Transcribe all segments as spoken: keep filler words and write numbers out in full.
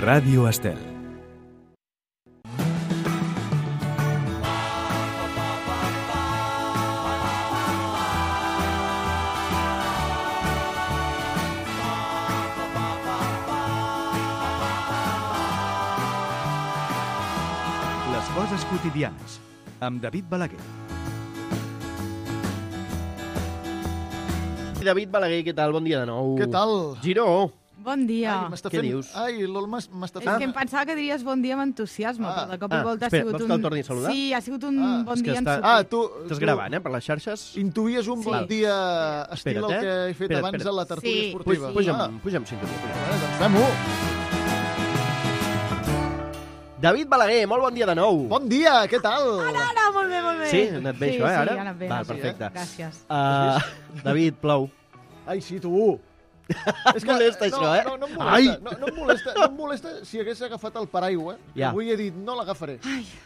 Ràdio Estel. Les coses quotidianes, amb David Balaguer. David Balaguer, què tal? Bon dia de nou. Què tal? Giró. Bon dia. Ai, m'està Què fent... dius? Ai, l'Olma m'està És fent... que em pensava que diries bon dia amb entusiasme, Ah. però de cop i Ah, volta espera, ha sigut vols un... que el torni a saludar? Sí, ha sigut un Ah, bon és que dia està- en Ah, sortir. tu... Estàs tu gravant, eh, per les xarxes? Intuïes un Sí. bon dia estil Espera't, el eh? que he fet Espera't, abans espera't. a la tertúlia Sí. esportiva. Puja, Ah, puja'm, puja'm sintonia. Puja. bueno, doncs fem-ho. David Balaguer, molt bon dia de nou. Bon dia, què tal? Ara, ara, molt bé, molt bé. Sí? Ha anat bé, sí, això, eh, ara? Sí, ha anat bé. Val, ha anat bé. perfecte. Gràcies. Uh, David, plou. Ai, sí, tu. És que molesta, no, això, eh? No, no em Ai! molesta. No, no, em molesta no em molesta si hagués agafat el paraigua. Ja. Avui he dit, no l'agafaré.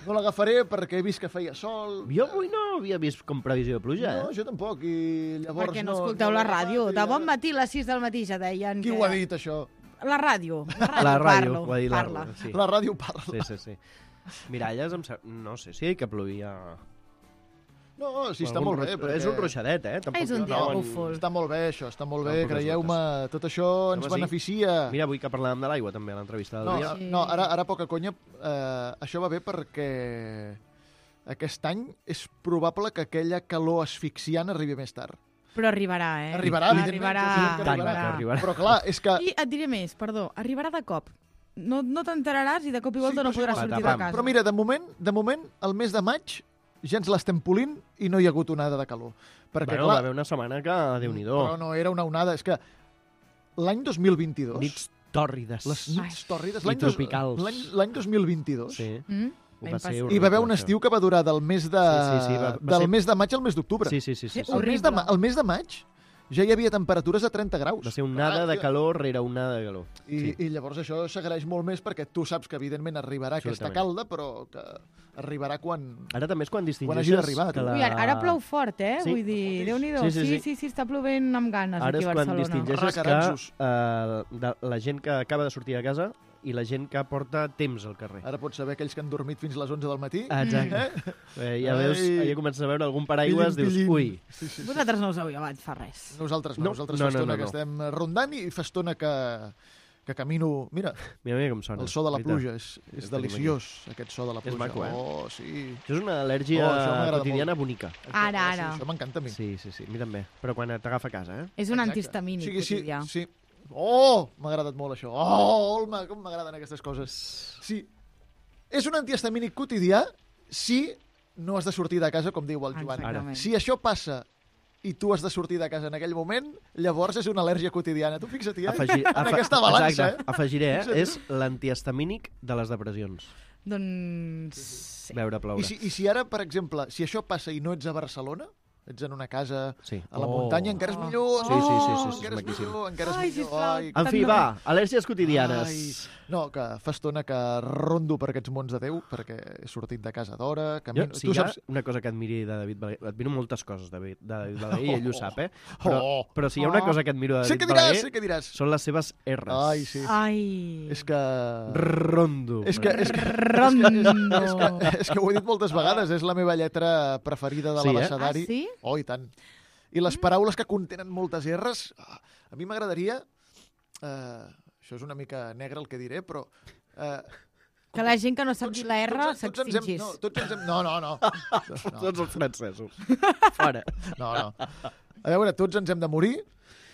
No l'agafaré perquè he vist que feia sol. Jo avui no havia vist com previsió de pluja, No, eh? jo tampoc. I llavors Perquè no no escolteu no la l'he ràdio. agafat i De bon ara- matí a les sis del matí ja deien Qui que... ho ha dit, això? La ràdio. La ràdio, La ràdio, parlo, ho ha dit la parla. Sí. La ràdio parla. Sí, sí, sí. Miralles, em sap... no sé si que plovia... No, sí, està Algun molt bé. ruix- És un ruixadet, eh? Tampoc És un dia no, búfol. Està molt bé, això, està molt bé, Tampoc és creieu-me, tot això ens Home, sí. beneficia. Mira, avui que parlàvem de l'aigua, també, a l'entrevista del No, dia. Sí. no ara, ara poca conya, eh, això va bé perquè aquest any és probable que aquella calor asfixiant arribi més tard. Però arribarà, eh? Arribarà, evidentment, Arribarà, jo sé que Tant, arribarà. que arribarà. Però clar, és que... I et diré més, perdó, arribarà de cop. No, no t'enteraràs i de cop i volta Sí, no però podràs sí, sortir patapam. de casa. Però mira, de moment, de moment, el mes de maig ja ens l'estem polint i no hi ha hagut onada de calor. Perquè, Bueno, va clar, haver una setmana que, Déu-n'hi-do, però no era una onada, és que l'any dos mil vint-i-dos... nits tòrrides. Les nits tòrrides... I l'any dos- tropicals. L'any l'any dos mil vint-i-dos... Sí. Mm? Ho L'any va ser passat. horrible, Hi va haver un això. estiu que va durar del mes de, Sí, sí, sí, va- va del ser- mes de maig al mes d'octubre. Sí, sí, sí. sí, Sí, sí. El, mes de, ma- horrible. el mes de maig ja hi havia temperatures de trenta graus. Va ser un nada de calor rere un nada de calor. I, Sí. I llavors això s'agraeix molt més perquè tu saps que evidentment arribarà aquesta Absolutament. calda, però que arribarà quan... Ara també és quan Quan distingeixes... hagi d'arribar, que tu. la... Ui, ara, ara plou fort, eh? Sí. Vull dir, Déu-n'hi-do. Sí, sí, sí. sí, sí, està plovent amb ganes Ara aquí és a quan Barcelona. distingeixes que Recaranzos. uh, de, la gent que acaba de sortir de casa i la gent que porta temps al carrer. Ara pots saber aquells que han dormit fins a les onze del matí. Exacte. Eh, ja Ai. veus, ja comences a veure algun paraigües, Pillim, dius, pillim. ui, Sí, sí, sí. Vosaltres no us heu llevat fa res. Nosaltres no, No, nosaltres no, fa no, estona no, que no. estem rondant i fa estona que, que camino... Mira, mira, mira com sona. el so de la Veritat. pluja, és, és Tenim deliciós, aquest so de la És pluja. maco, eh? Oh, sí. Això és una al·lèrgia Oh, això m'agrada quotidiana bonica. Ara, Oh, ara. Sí, això m'encanta a mi. Sí, sí, sí, a mi també. Però quan t'agafa a casa, eh? És un Exacte. antihistamínic Sí, sí, quotidià. sí. Oh, m'ha agradat molt això. Oh, Olma, com m'agraden aquestes coses. Sí, és un antihistamínic quotidià si no has de sortir de casa, com diu el Joan. Exactament. Si això passa i tu has de sortir de casa en aquell moment, llavors és una al·lèrgia quotidiana. Tu fixa't-hi, eh? Afegir, en aquesta balança, exacte, eh? afegiré, eh? Fixa't. És l'antihistamínic de les depressions. Doncs... Sí. Veure ploure. I si, I si ara, per exemple, si això passa i no ets a Barcelona, ets en una casa Sí. a la Oh. muntanya, encara és Oh. millor. Sí, sí, sí, sí, sí, encara és maquíssim. millor, encara és Ai, millor. sisplau. Ai, En fi, va, al·lèrgies quotidianes. Ai, no, que fa estona que rondo per aquests mons de Déu, perquè he sortit de casa d'hora, Jo, camino... si tu hi ha saps... una cosa que admiri de David Balaguer... Admiro moltes coses de David, de David Balaguer, i ell ho sap, eh? Però, Oh. però si hi ha una Oh. cosa que admiro de Sé David què diràs, Balaguer, sé què diràs. són les seves R's. Ai, sí. Ai... És que... Rondo. És que, és que, Rondo. és que, és que ho he dit moltes vegades, és la meva lletra preferida de Sí, eh? l'abecedari. Ah, sí? Oh, i tant. I les paraules que contenen moltes R's, ah, a mi m'agradaria... Eh, això és una mica negre el que diré, però... Eh, Que la gent que no sap dir la R tots, tots ens hem, s'extingís. no, tots ens hem... No, no, no. no. Tots els francesos. Fora. No, no. A veure, tots ens hem de morir.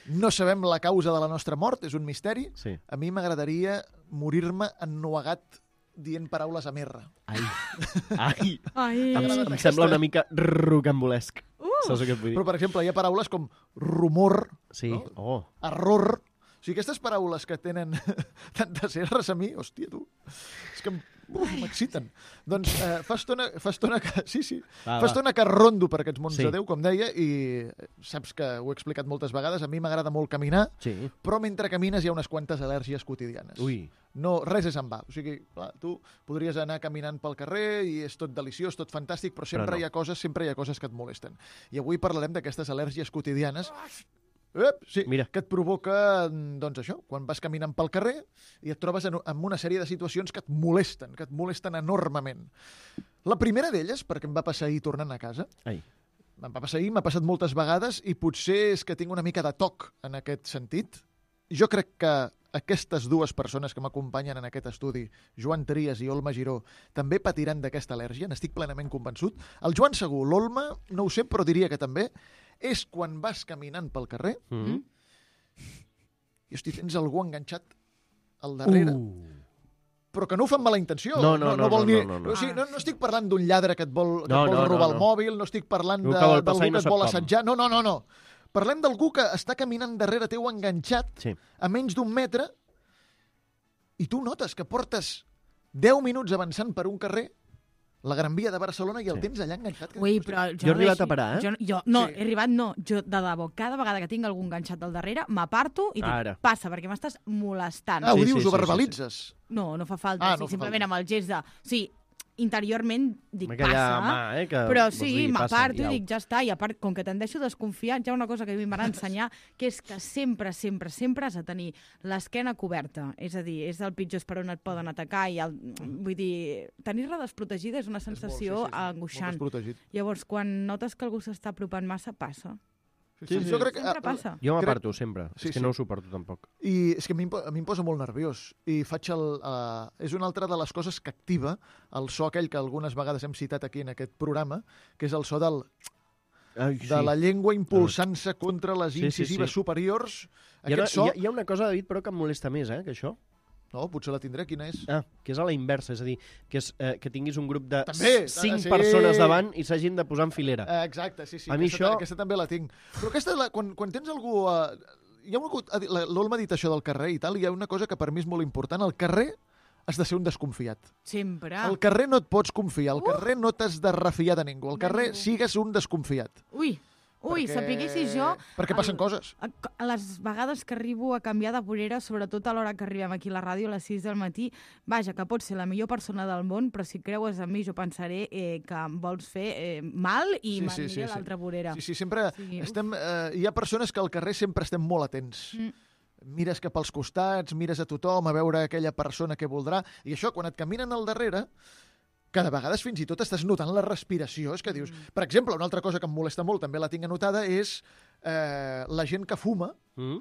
No sabem la causa de la nostra mort, és un misteri. Sí. A mi m'agradaria morir-me ennuegat dient paraules amb R. Ai. Ai. Ai... Em, M'agrada em aquesta. sembla una mica rocambolesc. Uh! Saps el que et vull dir? Però, per exemple, hi ha paraules com rumor, Sí. no? Oh. error... O sigui, aquestes paraules que tenen tantes R's a mi, hòstia, tu, és que em- uf, m'exciten. Doncs eh, fa, estona, fa estona que... Sí, sí. Va, fa va. estona que rondo per aquests mons Sí. de Déu, com deia, i saps que ho he explicat moltes vegades, a mi m'agrada molt caminar, Sí. però mentre camines hi ha unes quantes al·lèrgies quotidianes. Ui. No, res és en va. O sigui, clar, tu podries anar caminant pel carrer i és tot deliciós, tot fantàstic, però sempre Però no. hi ha coses, sempre hi ha coses que et molesten. I avui parlarem d'aquestes al·lèrgies quotidianes. Ep, sí, Mira. que et provoca, doncs això, quan vas caminant pel carrer i et trobes en, en una sèrie de situacions que et molesten, que et molesten enormement. La primera d'elles, perquè em va passar ahir tornant a casa, Ai. em va passar ahir, m'ha passat moltes vegades i potser és que tinc una mica de toc en aquest sentit. Jo crec que aquestes dues persones que m'acompanyen en aquest estudi, Joan Trias i Olma Giró, també patiran d'aquesta al·lèrgia, n'estic plenament convençut. El Joan segur, l'Olma no ho sé, però diria que també, és quan vas caminant pel carrer Mm -hmm. i, hosti, tens algú enganxat al darrere, Uh. però que no ho fa amb mala intenció. No, no, no, vol no, ni... no, no, no. O sigui, no, no estic parlant d'un lladre que et vol, que No, et vol no, robar no, el no. mòbil, no estic parlant Algú de- que vol d'algú passar i que no et sap vol com. assetjar. No, no, no, no. Parlem d'algú que està caminant darrere teu enganxat Sí. a menys d'un metre i tu notes que portes deu minuts avançant per un carrer, la Gran Via de Barcelona, i el Sí. tens allà enganxat. que- Ui, però jo, Jo he arribat deixo- a parar, eh? Jo, jo, no, Sí. he arribat no. Jo, de debò, cada vegada que tinc algú enganxat al darrere, m'aparto i dic, Ara. passa, perquè m'estàs molestant. Ah, ho Sí, dius, sí, ho sí, sí, verbalitzes. No, no fa falta. Ah, Ah, no no fa simplement falta. amb el gest de... Sí, interiorment dic, Amb aquella passa, mà, eh, que però vols sí, dir, passa, m'aparto i iau. dic, ja està. I a part, com que tendeixo a desconfiar, hi ha una cosa que a mi em van ensenyar, que és que sempre, sempre, sempre has de tenir l'esquena coberta. És a dir, és el pitjor per on et poden atacar. I el, vull dir, tenir-la desprotegida és una sensació molt, sí, sí, sí. angoixant. Molt desprotegit. Llavors, quan notes que algú s'està apropant massa, passa. Sí, Sí, sí. sí. Jo crec que, Sempre passa. Jo Crec- m'aparto sempre. Sí, És que sí. no ho suporto tampoc. I és que a mi, em po- a mi em posa molt nerviós. I faig el... Uh, és una altra de les coses que activa el so aquell que algunes vegades hem citat aquí en aquest programa, que és el so del, Ai, de la llengua impulsant-se contra les Sí, sí, incisives sí. superiors. Hi ha, Aquest so... hi, ha, hi ha una cosa, David, però que em molesta més, eh, que això. No, potser la tindré. Quina és? Ah, que és a la inversa, és a dir, que, és, eh, que tinguis un grup de També, cinc sí. persones davant i s'hagin de posar en filera. Eh, exacte, sí, sí. A mi aquesta, això- aquesta també la tinc. Però aquesta, la, quan, quan tens algú... Uh, hi ha una, ha dit- la- l'Olma ha dit això del carrer i tal, i hi ha una cosa que per mi és molt important. Al carrer has de ser un desconfiat. Sempre. Al carrer no et pots confiar, al carrer no t'has de refiar de ningú. Al De carrer ningú. sigues un desconfiat. Ui, ui, Perquè- sapiguessis jo... Perquè passen coses. A a les vegades que arribo a canviar de vorera, sobretot a l'hora que arribem aquí a la ràdio, a les sis del matí, vaja, que pots ser la millor persona del món, però si creues en mi jo pensaré eh, que em vols fer eh, mal i Sí, sí, sí, m'aniré sí, a sí. l'altra vorera. Sí, sí, sempre Sí, uf. estem... Eh, hi ha persones que al carrer sempre estem molt atents. Mm. Mires cap als costats, mires a tothom a veure aquella persona que voldrà, i això, quan et caminen al darrere, cada vegada fins i tot estàs notant la respiració. És que dius... Mm. Per exemple, una altra cosa que em molesta molt, també la tinc anotada, és eh, la gent que fuma Mm?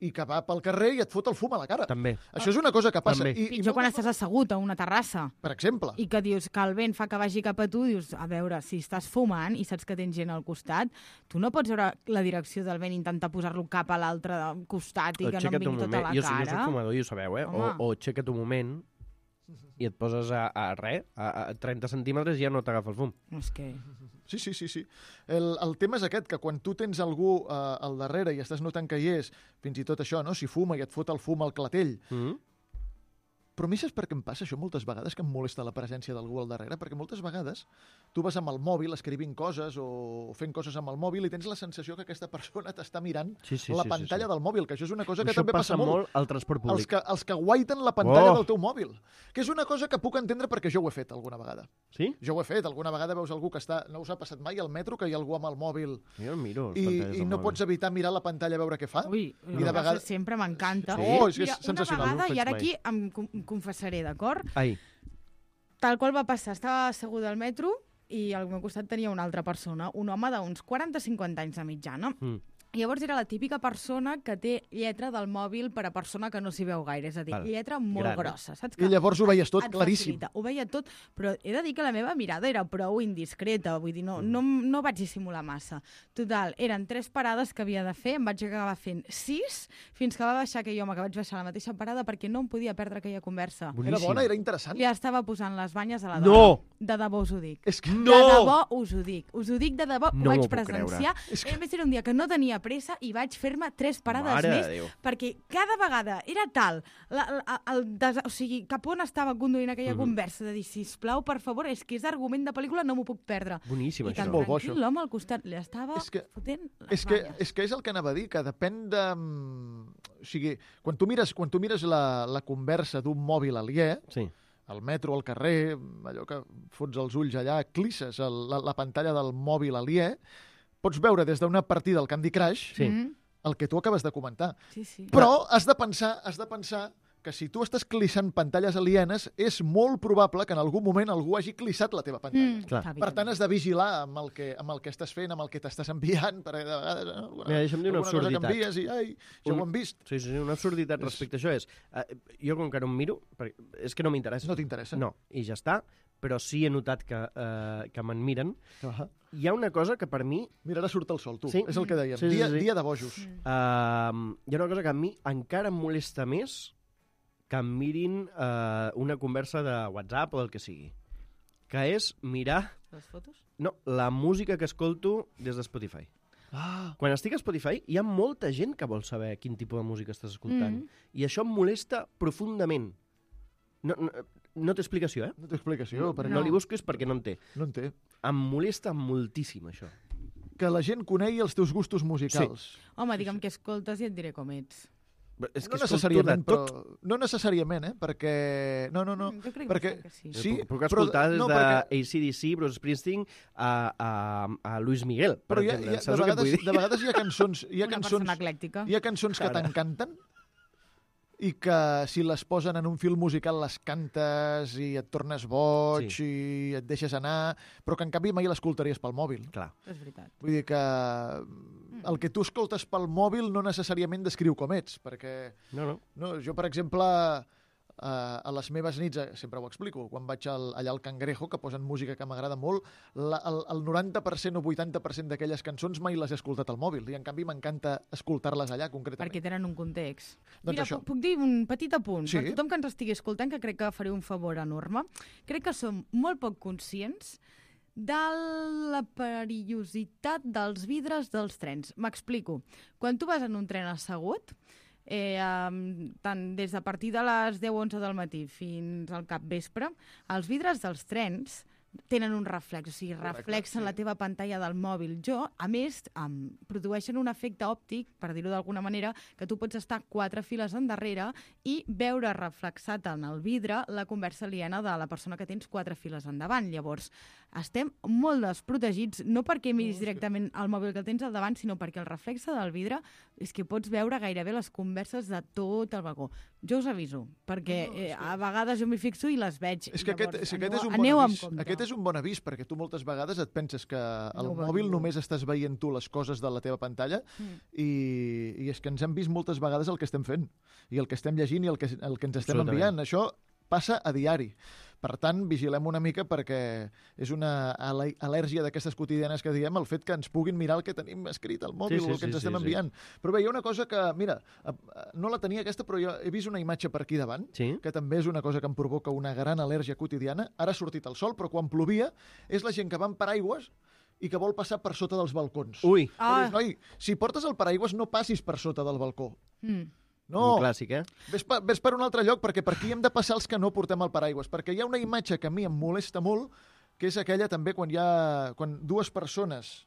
i que va pel carrer i et fot el fum a la cara. També. Això és una cosa que passa. També. I, i Pitjor quan moltes estàs assegut a una terrassa Per exemple. i que dius que el vent fa que vagi cap a tu, dius, a veure, si estàs fumant i saps que tens gent al costat, tu no pots veure la direcció del vent i intentar posar-lo cap a l'altre costat i que no em Aixeca't un vingui tota moment. la Jo, jo soc cara. fumador i ho sabeu, eh? O, Home. o aixeca't un moment i et poses a, a res, a, a trenta centímetres i ja no t'agafa el fum. És que... Sí, sí, sí. sí. El, el tema és aquest, que quan tu tens algú eh, al darrere i estàs notant que hi és, fins i tot això, no? Si fuma i et fot el fum al clatell. Mm? Però a mi saps per què em passa això moltes vegades, que em molesta la presència d'algú al darrere? Perquè moltes vegades tu vas amb el mòbil escrivint coses o fent coses amb el mòbil i tens la sensació que aquesta persona t'està mirant Sí, sí, la sí, pantalla sí, sí. del mòbil, que això és una cosa que Això també passa, molt. al transport Els públic. que, els que guaiten la pantalla Oh! del teu mòbil. Que és una cosa que puc entendre perquè jo ho he fet alguna vegada. Sí? Jo ho he fet. Alguna vegada veus algú que està... No us ha passat mai al metro que hi ha algú amb el mòbil Jo el miro. les i, pantalles i del no mòbil. pots evitar mirar la pantalla a veure què fa? Ui, I de de vegades- vegades... sempre m'encanta. Sí? Oh, és que és Mira, sensacional, una no ho vegada, faig i ara mai. aquí em, com- em confessaré, d'acord? Ai, Tal qual va passar, estava asseguda al metro i al meu costat tenia una altra persona, un home d'uns quaranta cinquanta anys de mitjana. mm. I llavors era la típica persona que té lletra del mòbil per a persona que no s'hi veu gaire, és a dir, Val. lletra molt Gran. grossa, saps? I llavors ho veies tot et claríssim. facilita. Ho veia tot, però he de dir que la meva mirada era prou indiscreta, vull dir, no, no, no vaig dissimular massa. Total, eren tres parades que havia de fer, em vaig acabar fent sis, fins que va baixar aquell home, que vaig baixar a la mateixa parada perquè no em podia perdre aquella conversa. Era Boníssim. bona, era interessant. Li estava posant les banyes a la No! dona. De debò us ho dic. És que... No! De debò us ho dic. Us ho dic de debò, No ho vaig m'ho puc presenciar. És que- A més, era un dia que no tenia pressa i vaig fer-me tres parades Mare de més, Déu. perquè cada vegada era tal, la, la, el des... o sigui, cap on estava conduint aquella Mhm. conversa, de dir, sisplau, per favor, és que és argument de pel·lícula, no m'ho puc perdre. Boníssim, I això. tan molt bo, tranquil, això. l'home al costat li estava És que- fotent les És que, banyes. és que és el que anava a dir, que depèn de... mm, O sigui, quan tu mires, quan tu mires la, la conversa d'un mòbil aliè, Sí. al metro, al carrer, allò que fots els ulls allà, clisses el, la, la pantalla del mòbil aliè, pots veure des d'una partida al Candy Crush Sí. Mm. el que tu acabes de comentar. Sí, sí. Però has de pensar, has de pensar que si tu estàs clissant pantalles alienes, és molt probable que en algun moment algú hagi clissat la teva pantalla. Mm, Clar. està bé, Per tant, també. has de vigilar amb el que, amb el que estàs fent, amb el que t'estàs enviant, perquè de vegades eh, alguna, Mira, deixa'm dir una alguna cosa que absurditat. envies i, ai, ja Un- ho hem vist. Sí, sí, sí, una absurditat És- respecte a això és... Uh, jo, com que no em miro, perquè és que no m'interessa. No t'interessa? No, i ja està, però sí he notat que, uh, que me'n miren. Ah, Hi ha una cosa que per mi... mira, ara surt el sol, tu. Sí. És el que dèiem. Sí, sí, dia, sí. dia de bojos. Mm. Uh, hi ha una cosa que a mi encara em molesta més que em mirin uh, una conversa de WhatsApp o del que sigui, que és mirar Les fotos? no, la música que escolto des de Spotify. Ah, Quan estic a Spotify hi ha molta gent que vol saber quin tipus de música estàs escoltant. Mm. I això em molesta profundament. No, no, no té explicació, eh? no té explicació. No, perquè no li busquis perquè no en té. no en té. Em molesta moltíssim, això. Que la gent conegui els teus gustos musicals. Home, digue'm què escoltes i et diré com ets. És No escolto necessàriament, de tot. però... No necessàriament, eh? Perquè... No, no, no. Mm, jo crec perquè... que sí. Sí, Puc, puc però- escoltar des no, de perquè- A C D C, Bruce Springsteen, a, a, a Luis Miguel, per Però hi ha, exemple. hi ha, de, Saps el que et vegades, vull dir? de vegades hi ha cançons, hi ha Una cançons, persona eclèctica. hi ha cançons que Cara. t'encanten i que si les posen en un film musical les cantes i et tornes boig Sí. i et deixes anar, però que en canvi mai l'escoltaries pel mòbil. Clar. És veritat. Vull dir que el que tu escoltes pel mòbil no necessàriament descriu com ets, perquè No, no. no, jo, per exemple, a, a les meves nits, eh, sempre ho explico, quan vaig al, allà al Cangrejo, que posen música que m'agrada molt, la, el, el noranta per cent o vuitanta per cent d'aquelles cançons mai les he escoltat al mòbil, i en canvi m'encanta escoltar-les allà, concretament. Perquè tenen un context. Doncs Mira, això. puc, puc dir un petit apunt? Sí. Per tothom que ens estigui escoltant, que crec que faré un favor enorme. Crec que som molt poc conscients de la perillositat dels vidres dels trens. M'explico. Quan tu vas en un tren assegut, eh, um, tant des de partir de les deu o onze del matí fins al capvespre, els vidres dels trens tenen un reflex, o sigui, Correcte, reflexen sí. la teva pantalla del mòbil. Jo, a més, um, produeixen un efecte òptic, per dir-ho d'alguna manera, que tu pots estar quatre files endarrere i veure reflexat en el vidre la conversa aliena de la persona que tens quatre files endavant. Llavors, estem molt desprotegits, no perquè miris directament el mòbil que tens al davant, sinó perquè el reflexe del vidre és que pots veure gairebé les converses de tot el vagó. Jo us aviso, perquè No, no, eh, és que- a vegades jo m'hi fixo i les veig. És que, aquest, Llavors, és que aquest, aneu, és un aneu bon amb avís. compte. Aquest és un bon avís, perquè tu moltes vegades et penses que al No ho mòbil veus. només estàs veient tu les coses de la teva pantalla Mm. i, i és que ens hem vist moltes vegades el que estem fent i el que estem llegint i el que, el que ens estem Absolutament. enviant. Això passa a diari. Per tant, vigilem una mica perquè és una al- al·lèrgia d'aquestes quotidianes que diem el fet que ens puguin mirar el que tenim escrit al mòbil Sí, sí, o el que ens sí, estem sí, sí. enviant. Però bé, hi ha una cosa que, mira, eh, eh, no la tenia aquesta, però jo he vist una imatge per aquí davant Sí? que també és una cosa que em provoca una gran al·lèrgia quotidiana. Ara ha sortit el sol, però quan plovia és la gent que va amb paraigües i que vol passar per sota dels balcons. Ui, Ah. Ah, Noi, si portes el paraigües no passis per sota del balcó. mm. No, un clàssic, eh? ves per, ves per un altre lloc, perquè per aquí hem de passar els que no portem el paraigües, perquè hi ha una imatge que a mi em molesta molt, que és aquella també quan hi ha quan dues persones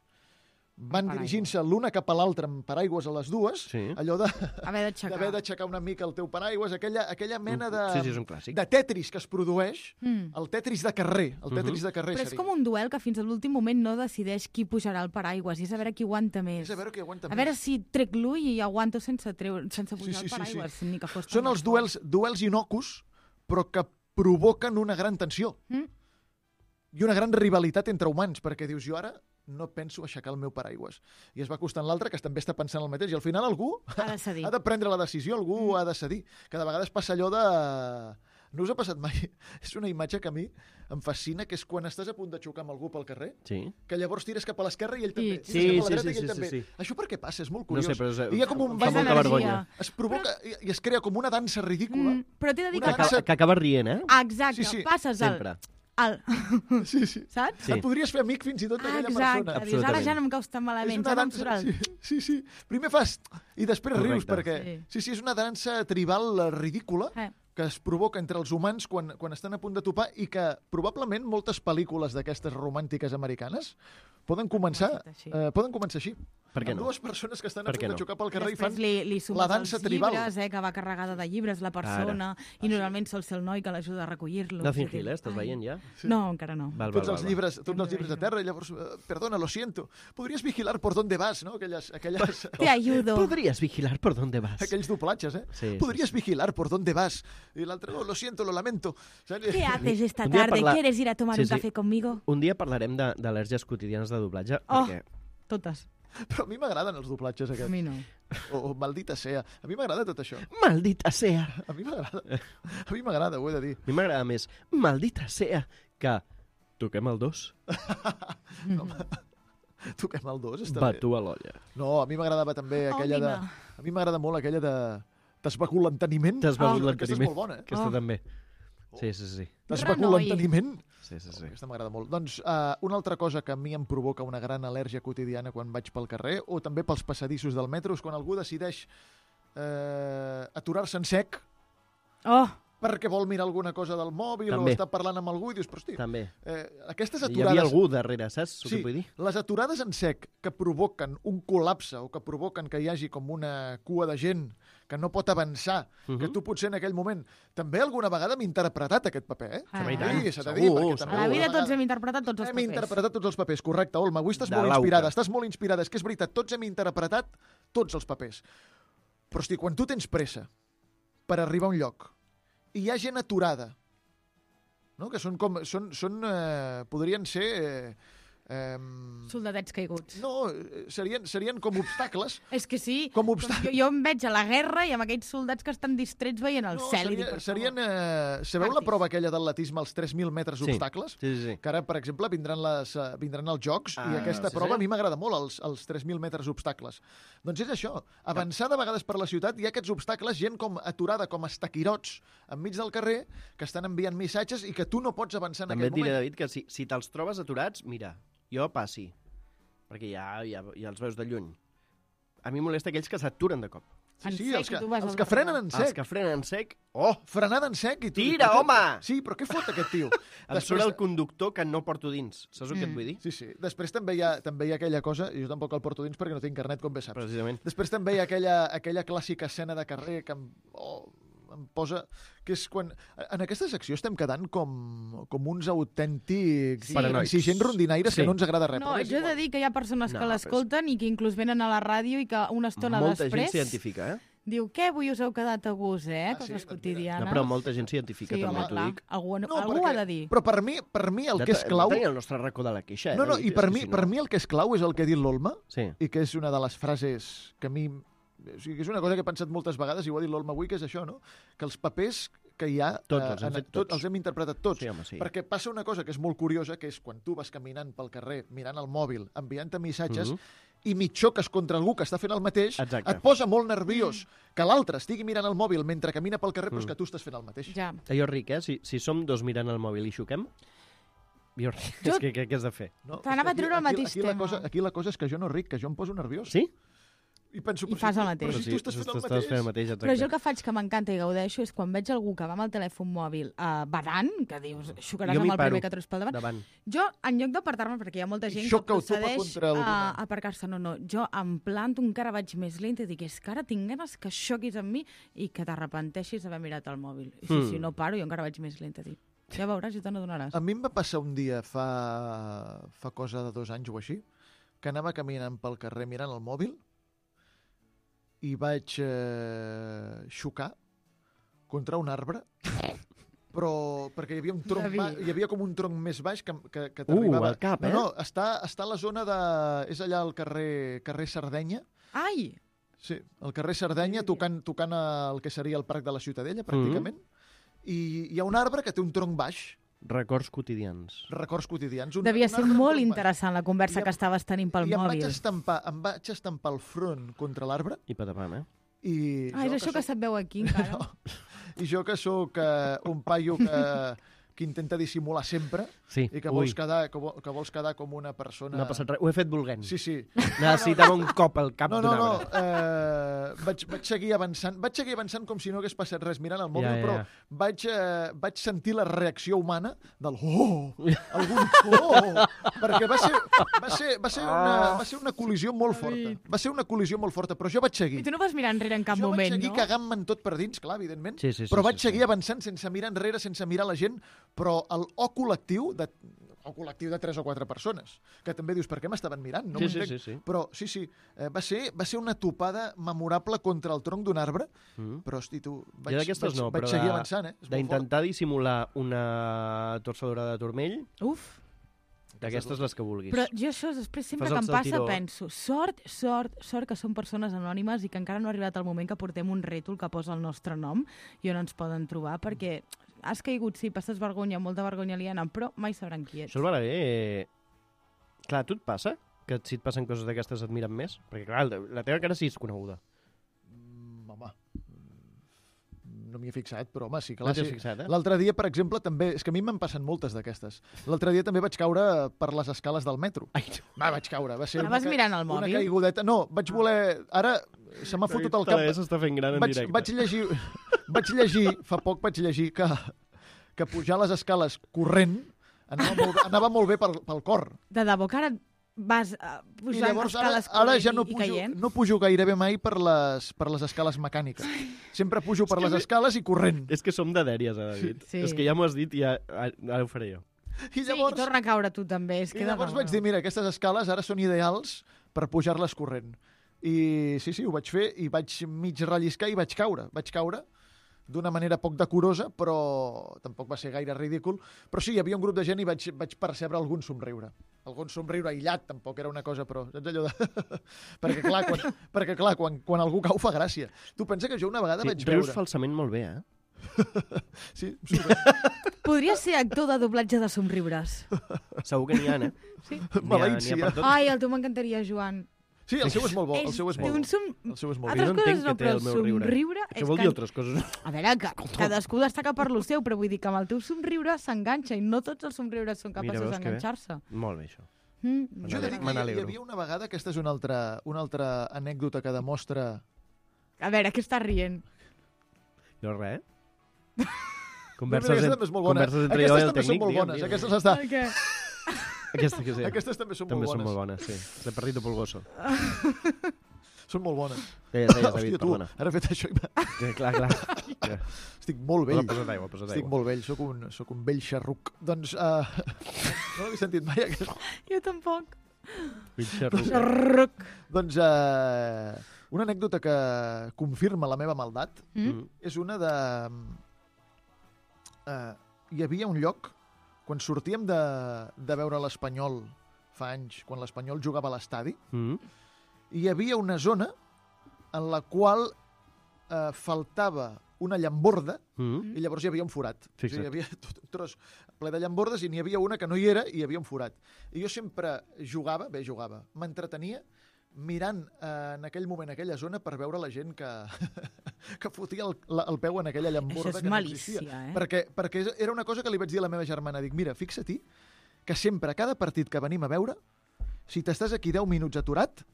van Paraigües. dirigint-se l'una cap a l'altra amb paraigües a les dues, Sí. allò de Haver d'aixecar. d'haver d'aixecar una mica el teu paraigües, aquella, aquella mena de, Sí, sí, és un clàssic. de tetris que es produeix, Mm. el tetris de carrer, el tetris de carrer Però és seria. com un duel que fins a l'últim moment no decideix qui pujarà al paraigües, i és a veure qui aguanta més. És a veure qui aguanta A veure més. si trec l'ull i aguanto sense, treure, sense pujar Sí, sí, sí, al paraigües, ni que fos tan Són els fort. duels, duels inocus, però que provoquen una gran tensió. Mm? I una gran rivalitat entre humans, perquè dius, jo ara no penso aixecar el meu paraigües. I es va acostant l'altre, que també està pensant el mateix, i al final algú Ha de cedir. ha de prendre la decisió, algú Mm. ha de cedir. Que de vegades passa allò de... No us ha passat mai? És una imatge que a mi em fascina, que és quan estàs a punt de xocar amb algú pel carrer, Sí. que llavors tires cap a l'esquerra i ell també. I- Tires Sí, cap a la sí, dreta sí, i ell sí, també. sí, sí. Això per què passa? És molt No curiós. sé, però és, I hi ha com un fa ball molta energia. vergonya. es provoca i, i es crea com una dansa ridícula. Mm, però t'he de dir Una que... Que, acaba, que acaba rient, eh? Ah, exacte, Sí, sí. passes al... Sempre. al... Sí, sí. Saps? Sí. Et podries fer amic fins i tot Ah, d'aquella exacte. persona. Dius, ara Absolutament. ja no em caus tan malament, ja no em surt el... sí, sí, sí. Primer fas i després Correcte. rius, perquè Sí. sí, sí, és una dansa tribal eh, ridícula Eh. que es provoca entre els humans quan, quan estan a punt de topar i que probablement moltes pel·lícules d'aquestes romàntiques americanes Poden començar, Començat així. eh, poden començar així. Per què Amb no? dues persones que estan a Per punt què de no? xocar pel carrer i Després fan... li, li sumes la dansa els tribal. llibres, eh, que va carregada de llibres, la persona, i normalment sol ser el noi que l'ajuda a recollir-los. Nothing I dic, Hill, eh? Estàs ai. veient ja? Sí. No, encara no. Val, Tots val, els val, llibres, tots Ja els llibres a m'imagino. terra, i llavors, eh, perdona, lo siento, podries vigilar por dónde vas, no? Aquelles, aquelles, Te ayudo. Podries vigilar por dónde vas. aquells doblatges, eh? Sí, sí, podries sí. vigilar por dónde vas. I l'altre, no, lo siento, lo lamento. Saps? ¿Qué haces esta Un día tarde? parla- ¿Quieres ir a tomar Sí, un sí. café conmigo? Un dia parlarem de- d'al·lèrgies quotidianes de doblatge, Oh. perquè Totes. Però a mi m'agraden els doblatges A aquests. mi no. O, o maldita sea. A mi m'agrada tot això. maldita sea. A mi m'agrada. A mi m'agrada, ho he de dir. A mi m'agrada més maldita sea que toquem el dos, Toquem el dos, està bé. batu a l'olla. No, a mi m'agradava també aquella de... Ònima. A mi m'agrada molt aquella de... T'esbegut l'enteniment. T'has begut Oh, aquesta és l'enteniment. molt bona, eh? Aquesta Oh. també. Sí, sí, sí. T'esbegut Renoi. l'enteniment. Sí, sí, sí. Aquesta m'agrada molt. Doncs uh, una altra cosa que a mi em provoca una gran al·lèrgia quotidiana quan vaig pel carrer, o també pels passadissos del metro, és quan algú decideix eh, aturar-se en sec Oh, perquè vol mirar alguna cosa del mòbil També. o està parlant amb algú i dius, però hosti, També. eh, aquestes Hi aturades... havia algú darrere, saps el Sí, que vull dir? les aturades en sec que provoquen un col·lapse o que provoquen que hi hagi com una cua de gent que no pot avançar, Mhm. que tu potser en aquell moment... També alguna vegada m'he interpretat aquest paper, eh? Ah. I tant. Sí, s'ha de dir, Segur, perquè segur. també a la vida alguna tots hem vegada- interpretat tots els Hem papers. interpretat tots els papers, correcte, Olma. Avui estàs De molt l'auca. inspirada, estàs molt inspirada. És que és veritat, tots hem interpretat tots els papers. Però, hosti, quan tu tens pressa per arribar a un lloc i hi ha gent aturada, no? Que són com... Són, són, eh, podrien ser... Eh, eh, Soldadets caiguts. no, eh, serien, serien com obstacles. És que sí, Com obsta- jo, jo em veig a la guerra i amb aquells soldats que estan distrets veient el No, cel. i seria, dic, per serien... favor. Eh, sabeu la Màrtirs. prova aquella d'atletisme als tres mil metres Sí. obstacles? Sí, sí, sí. Que ara, per exemple, vindran, les, eh, vindran els Jocs Ah, i aquesta sí, prova sí. a mi m'agrada molt, els, els tres mil metres obstacles. Doncs és això, avançar de vegades per la ciutat, hi ha aquests obstacles, gent com aturada, com estaquirots, enmig del carrer, que estan enviant missatges i que tu no pots avançar en També et aquell diré, moment. David, que si, si te'ls trobes aturats, mira, jo passi, perquè ja, ja, ja els veus de lluny. A mi molesta aquells que s'aturen de cop. Sí, En sí, sec, els que, i tu vas els al que frenen darrere. en Els sec. que frenen en sec, oh, Frenada en sec i tu... Tira, però què- home! Sí, però què fot aquest tio? em surt el conductor que no porto dins. Saps el que et Mm. vull dir? Sí, sí. Després també hi, ha, també hi ha aquella cosa, i jo tampoc el porto dins perquè no tinc carnet, com bé saps. Precisament. Després també hi ha aquella, aquella clàssica escena de carrer que em, oh, em posa... Que és quan... En aquesta secció estem quedant com, com uns autèntics Sí. Paranoics. exigents rondinaires Sí. que no ens agrada res. No, però és jo he de igual. dir que hi ha persones No, que però l'escolten i que inclús venen a la ràdio i que una estona Molta després gent s'identifica, eh? diu que avui us heu quedat a gust, eh? Ah, Coses sí? Doncs mira. quotidianes. No, però molta gent s'identifica, Sí, també, home, t'ho clar. dic. Algú, No, algú perquè- ha de dir. Però per mi, per mi el Ja que és te- clau... Tenim el nostre racó de la queixa, eh? No, no, David? i per És que mi, si no- per mi el que és clau és el que ha dit l'Olma, Sí. i que és una de les frases que a mi... O sigui, que és una cosa que he pensat moltes vegades, i ho ha dit l'Olma avui, que és això, no? Que els papers que hi ha... Tots, els hem en- fet tot, tots. els hem interpretat tots. Sí, home, sí. Perquè passa una cosa que és molt curiosa, que és quan tu vas caminant pel carrer, mirant el mòbil, enviant-te missatges, Mhm. i mig xoques contra algú que està fent el mateix, Exacte. et posa molt nerviós que l'altre estigui mirant el mòbil mentre camina pel carrer, però és Mm. que tu estàs fent el mateix. Ja. Jo ric, eh? Si, si som dos mirant el mòbil i xoquem, jo ric. Jo- És que què, què has de fer? No? T'anava És que a treure el aquí, mateix aquí, la tema. cosa, aquí la cosa és que jo no ric, que jo em poso nerviós. Sí? I penso, I però fas si, el tu- mateix. Però si tu estàs fent el estàs mateix. fent el mateix, exacte. Però jo el que faig que m'encanta i gaudeixo és quan veig algú que va amb el telèfon mòbil uh, badant, que dius, xocaràs Jo amb m'hi el paro. primer que trobes pel davant. Davant. Jo, en lloc d'apartar-me, perquè hi ha molta I gent que xoca o topa procedeix contra a alguna. a aparcar-se, no, no. Jo em planto encara, vaig més lenta i dic, és que ara tinc ganes que xoquis amb mi i que t'arrepenteixis d'haver mirat el mòbil. I si, Mm. si no paro, jo encara vaig més lenta. Dic, ja veuràs, ja te n'adonaràs. A mi em va passar un dia fa, fa cosa de dos anys o així, que anava caminant pel carrer mirant el mòbil i vaig eh, xocar contra un arbre, però perquè hi havia un tronc, David. ba- hi havia com un tronc més baix que, que, que Uh, t'arribava. al cap, eh? No, no, està, està a la zona de... És allà al carrer, carrer Sardenya, Ai! sí, al carrer Sardenya, tocant, tocant el que seria el Parc de la Ciutadella, pràcticament, i hi ha un arbre que té un tronc baix, Records quotidians. records quotidians. Un, Devia un ser arbre amb molt tronc baix. interessant la conversa I que em- estaves tenint pel I em vaig, mòbil. estampar, em vaig estampar el front contra l'arbre I patapam, eh? i... Ah, és jo això que soc- se't veu aquí, encara. No. I jo que sóc eh, un paio que, que intenta dissimular sempre Sí. i que Ui, vols, quedar, que, vol, que vols quedar com una persona... no ha passat res. Ho he fet volent. Sí, sí. Necessitava un cop al cap No, d'un no, no. arbre. Eh, vaig, vaig seguir avançant, vaig seguir avançant com si no hagués passat res mirant el mòbil, Ja, ja, ja. però vaig, eh, vaig sentir la reacció humana del oh, algun oh, perquè va ser, va ser, va ser, una, va ser una col·lisió molt forta. Va ser una col·lisió molt forta, però jo vaig seguir. I tu no vas mirar enrere en cap jo moment, vaig seguir no? cagant-me'n tot per dins, clar, evidentment, Sí, sí, sí, però sí, vaig sí. seguir avançant sense mirar enrere, sense mirar la gent, però el O col·lectiu de o col·lectiu de tres o quatre persones, que també dius, per què m'estaven mirant? No Sí, m'ho sí, entenc. sí, sí. Però sí, sí, eh, va, ser, va ser una topada memorable contra el tronc d'un arbre, Mm. però, hosti, tu, Jo vaig, d'aquestes vaig, no, vaig però seguir de- avançant, eh? És molt fort. D'intentar dissimular una torçadora de turmell, Uf. d'aquestes les que vulguis. Però jo això després sempre Fas que el em passa saltiró. penso, sort, sort, sort que som persones anònimes i que encara no ha arribat el moment que portem un rètol que posa el nostre nom i on ens poden trobar, perquè has caigut, sí, passes vergonya, molta vergonya aliena, però mai sabran qui ets. Això el Balaguer... Eh... Clar, a tu et passa que si et passen coses d'aquestes et miren més? Perquè, clar, la teva cara sí és coneguda. Mm, home, mm, no m'hi he fixat, però home, sí, No clar, t'hi sí. has fixat, eh? L'altre dia, per exemple, també... És que a mi m'han passat moltes d'aquestes. L'altre dia també vaig caure per les escales del metro. Ai, Va, vaig caure. Va ser Anaves una, ca- mirant el una mòbil? caigudeta. No, vaig voler... Ara se m'ha fotut el cap. s'està fent gran en Vaig, directe. vaig llegir... Vaig llegir, fa poc vaig llegir que, que pujar les escales corrent anava molt, bé- anava molt bé pel, pel cor. De debò que ara vas uh, I pujant llavors ara, escales ara ja corrent no i, i pujo, caient? no pujo gairebé mai per les, per les escales mecàniques. Sempre pujo per És que les ve- escales i corrent. És que som de dèries, eh, David? Sí. És que ja m'ho has dit i ja, ara ho faré jo. I Sí, llavors, i torna a caure tu també. És i que llavors vaig dir, mira, aquestes escales ara són ideals per pujar-les corrent. I sí, sí, ho vaig fer i vaig mig relliscar i vaig caure. Vaig caure d'una manera poc decorosa, però tampoc va ser gaire ridícul. Però sí, hi havia un grup de gent i vaig, vaig percebre algun somriure. Algun somriure aïllat, tampoc era una cosa, però saps allò de... perquè clar, quan, perquè, clar quan, quan algú cau fa gràcia. Tu pensa que jo una vegada Sí, vaig rius veure... falsament molt bé, eh? Sí, super. Podries ser actor de doblatge de somriures. Segur que n'hi ha, eh? Sí. N'hi ha, Maleïcia. n'hi ha per tot. Ai, el teu m'encantaria, Joan. Sí, el seu és molt bo. El És- seu és té molt un bo. som... El seu és molt Jo bo. Altres no entenc coses no, què té però el meu riure. somriure... Això és vol que- dir altres coses. A veure, que cadascú destaca per lo seu, però vull dir que amb el teu somriure s'enganxa i no tots els somriures són Mira, capaços veus que bé? d'enganxar-se. Molt bé, això. Mm, Jo he de dir que Me hi, hi n'alegro. havia una vegada, aquesta és una altra, una altra anècdota que demostra... A veure, què estàs rient? Jo res, eh? No, Converses, mira, aquesta en- també és molt bona. converses entre jo i Aquestes el també són tècnic, molt digue'm, bones. digue'm. Aquestes les de... Per què? Aquesta que sí. Aquestes també són També molt són bones. molt bones, sí. De Perrito Polgoso. Són molt bones. Deies, deies, Hòstia, David, tu, perdona. ara he fet això i m'ha- Sí, clar, clar. Ja. estic molt vell. Posa, posa't aigua, posa't Estic aigua. molt vell, sóc un, sóc un vell xarruc. Doncs uh, no l'havia sentit mai, aquest. Jo tampoc. Mitja ruca. Xarruc. Doncs uh, una anècdota que confirma la meva maldat Mm? Mm. és una de... Uh, hi havia un lloc, quan sortíem de, de veure l'Espanyol fa anys, quan l'Espanyol jugava a l'estadi, Mm. hi havia una zona en la qual eh, faltava una llamborda Mm. i llavors hi havia un forat. O sigui, Fixa't. hi havia tot un tros ple de llambordes i n'hi havia una que no hi era i hi havia un forat. I jo sempre jugava, bé, jugava, m'entretenia mirant eh, en aquell moment aquella zona per veure la gent que, que fotia el, la, el peu en aquella llamborda Això és que no malícia, existia. eh? Perquè, perquè era una cosa que li vaig dir a la meva germana. Dic, mira, fixa-t'hi que sempre, a cada partit que venim a veure, si t'estàs aquí deu minuts aturat,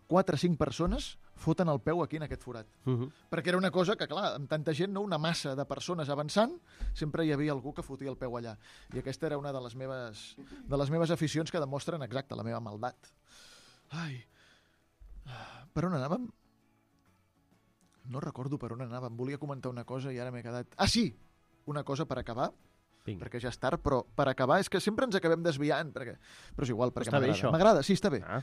quatre o cinc persones foten el peu aquí en aquest forat. Mm. Perquè era una cosa que, clar, amb tanta gent, no, una massa de persones avançant, sempre hi havia algú que fotia el peu allà. I aquesta era una de les meves, de les meves aficions que demostren exacte la meva maldat. Ai, per on anàvem? No recordo per on anàvem. Volia comentar una cosa i ara m'he quedat... Ah, sí! Una cosa per acabar, Vinga. perquè ja és tard, però per acabar és que sempre ens acabem desviant, perquè... però és igual, perquè Està bé, m'agrada. això. M'agrada, sí, està bé. Ah.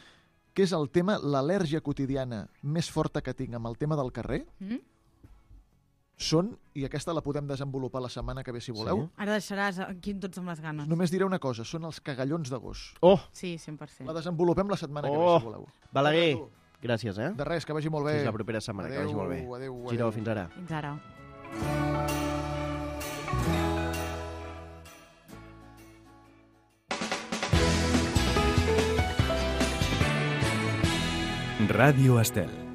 Que és el tema, l'al·lèrgia quotidiana més forta que tinc amb el tema del carrer, Mm? són, i aquesta la podem desenvolupar la setmana que ve si voleu, Sí? Ara deixaràs aquí tots amb les ganes. només diré una cosa, són els cagallons de gos. Oh, Sí, cent per cent. La desenvolupem la setmana que ve Oh. si voleu. Balaguer, gràcies, eh? De res, que vagi molt bé. Fins la propera setmana, que vagi molt bé. Adéu, adéu. Giró, fins ara. Fins ara. Ràdio Estel.